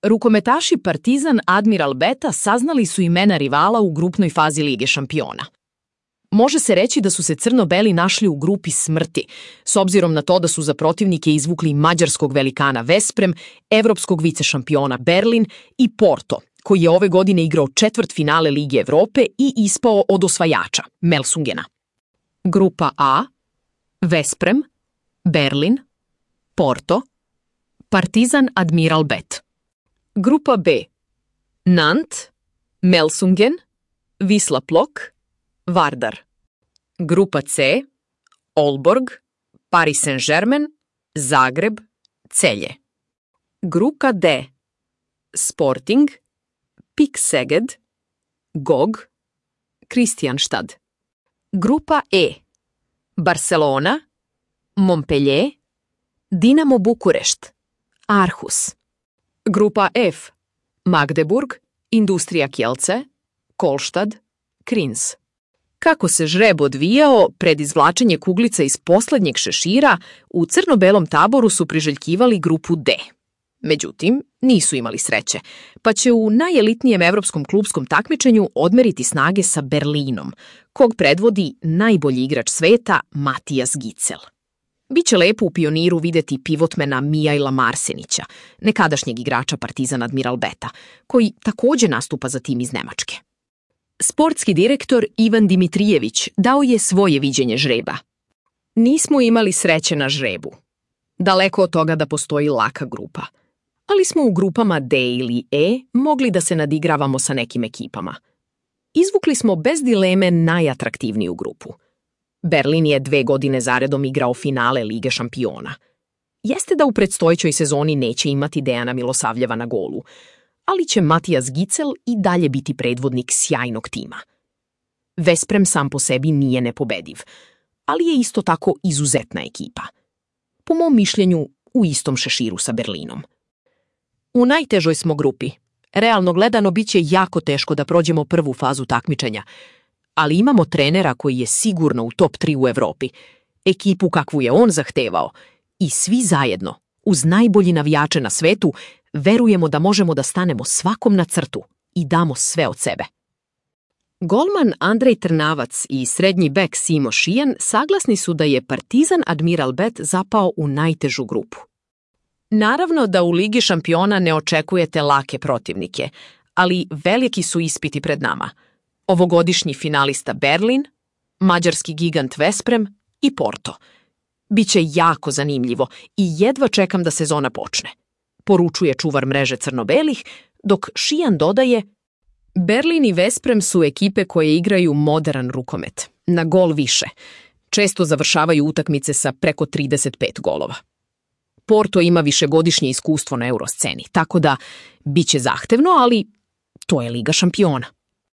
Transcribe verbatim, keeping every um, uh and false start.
Rukometaši Partizan Admiral Beta saznali su imena rivala u grupnoj fazi Lige šampiona. Može se reći da su se crno-beli našli u grupi smrti, s obzirom na to da su za protivnike izvukli mađarskog velikana Vesprem, evropskog vicešampiona Berlin i Porto, koji je ove godine igrao četvrtfinale Lige Evrope i ispao od osvajača, Melsungena. Grupa A, Vesprem, Berlin, Porto, Partizan Admiral Bet. Grupa B, Nant, Melsungen, Wisla Plok, Vardar. Grupa C, Olborg, Paris Saint-Germain, Zagreb, Celje. Grupa D, Sporting, Pik Seged, Gog, Kristianstad. Grupa E, Barcelona, Montpellier, Dinamo Bukurešt, Aarhus. Grupa F, Magdeburg, Industrija Kielce, Kolštad, Krins. Kako se žreb odvijao, pred izvlačenje kuglica iz poslednjeg šešira, u crno-belom taboru su priželjkivali grupu D. Međutim, nisu imali sreće, pa će u najelitnijem evropskom klupskom takmičenju odmeriti snage sa Berlinom, kog predvodi najbolji igrač sveta Matijas Gicel. Biće lepo u Pioniru videti pivotmena Mijaila Marsenića, nekadašnjeg igrača Partizan Admiral Beta, koji takođe nastupa za tim iz Nemačke. Sportski direktor Ivan Dimitrijević dao je svoje viđenje žreba. Nismo imali sreće na žrebu. Daleko od toga da postoji laka grupa. Ali smo u grupama D ili E mogli da se nadigravamo sa nekim ekipama. Izvukli smo bez dileme najatraktivniju grupu. Berlin je dve godine zaredom igrao finale Lige šampiona. Jeste da u predstojećoj sezoni neće imati Dejana Milosavljeva na golu, ali će Matijas Gicel i dalje biti predvodnik sjajnog tima. Vesprem sam po sebi nije nepobediv, ali je isto tako izuzetna ekipa. Po mom mišljenju, u istom šeširu sa Berlinom. U najtežoj smo grupi. Realno gledano bit će jako teško da prođemo prvu fazu takmičenja, ali imamo trenera koji je sigurno u top tri u Evropi, ekipu kakvu je on zahtevao i svi zajedno, uz najbolji navijače na svetu, verujemo da možemo da stanemo svakom na crtu i damo sve od sebe. Golman Andrej Trnavac i srednji bek Simo Šijan saglasni su da je Partizan Admiral Bet zapao u najtežu grupu. Naravno da u Ligi šampiona ne očekujete lake protivnike, ali veliki su ispiti pred nama. Ovogodišnji finalista Berlin, mađarski gigant Vesprem i Porto. Biće jako zanimljivo i jedva čekam da sezona počne, poručuje čuvar mreže crno-belih, dok Šijan dodaje: Berlin i Vesprem su ekipe koje igraju modern rukomet, na gol više. Često završavaju utakmice sa preko trideset pet golova. Porto ima višegodišnje iskustvo na eurosceni, tako da biće zahtevno, ali to je Liga šampiona.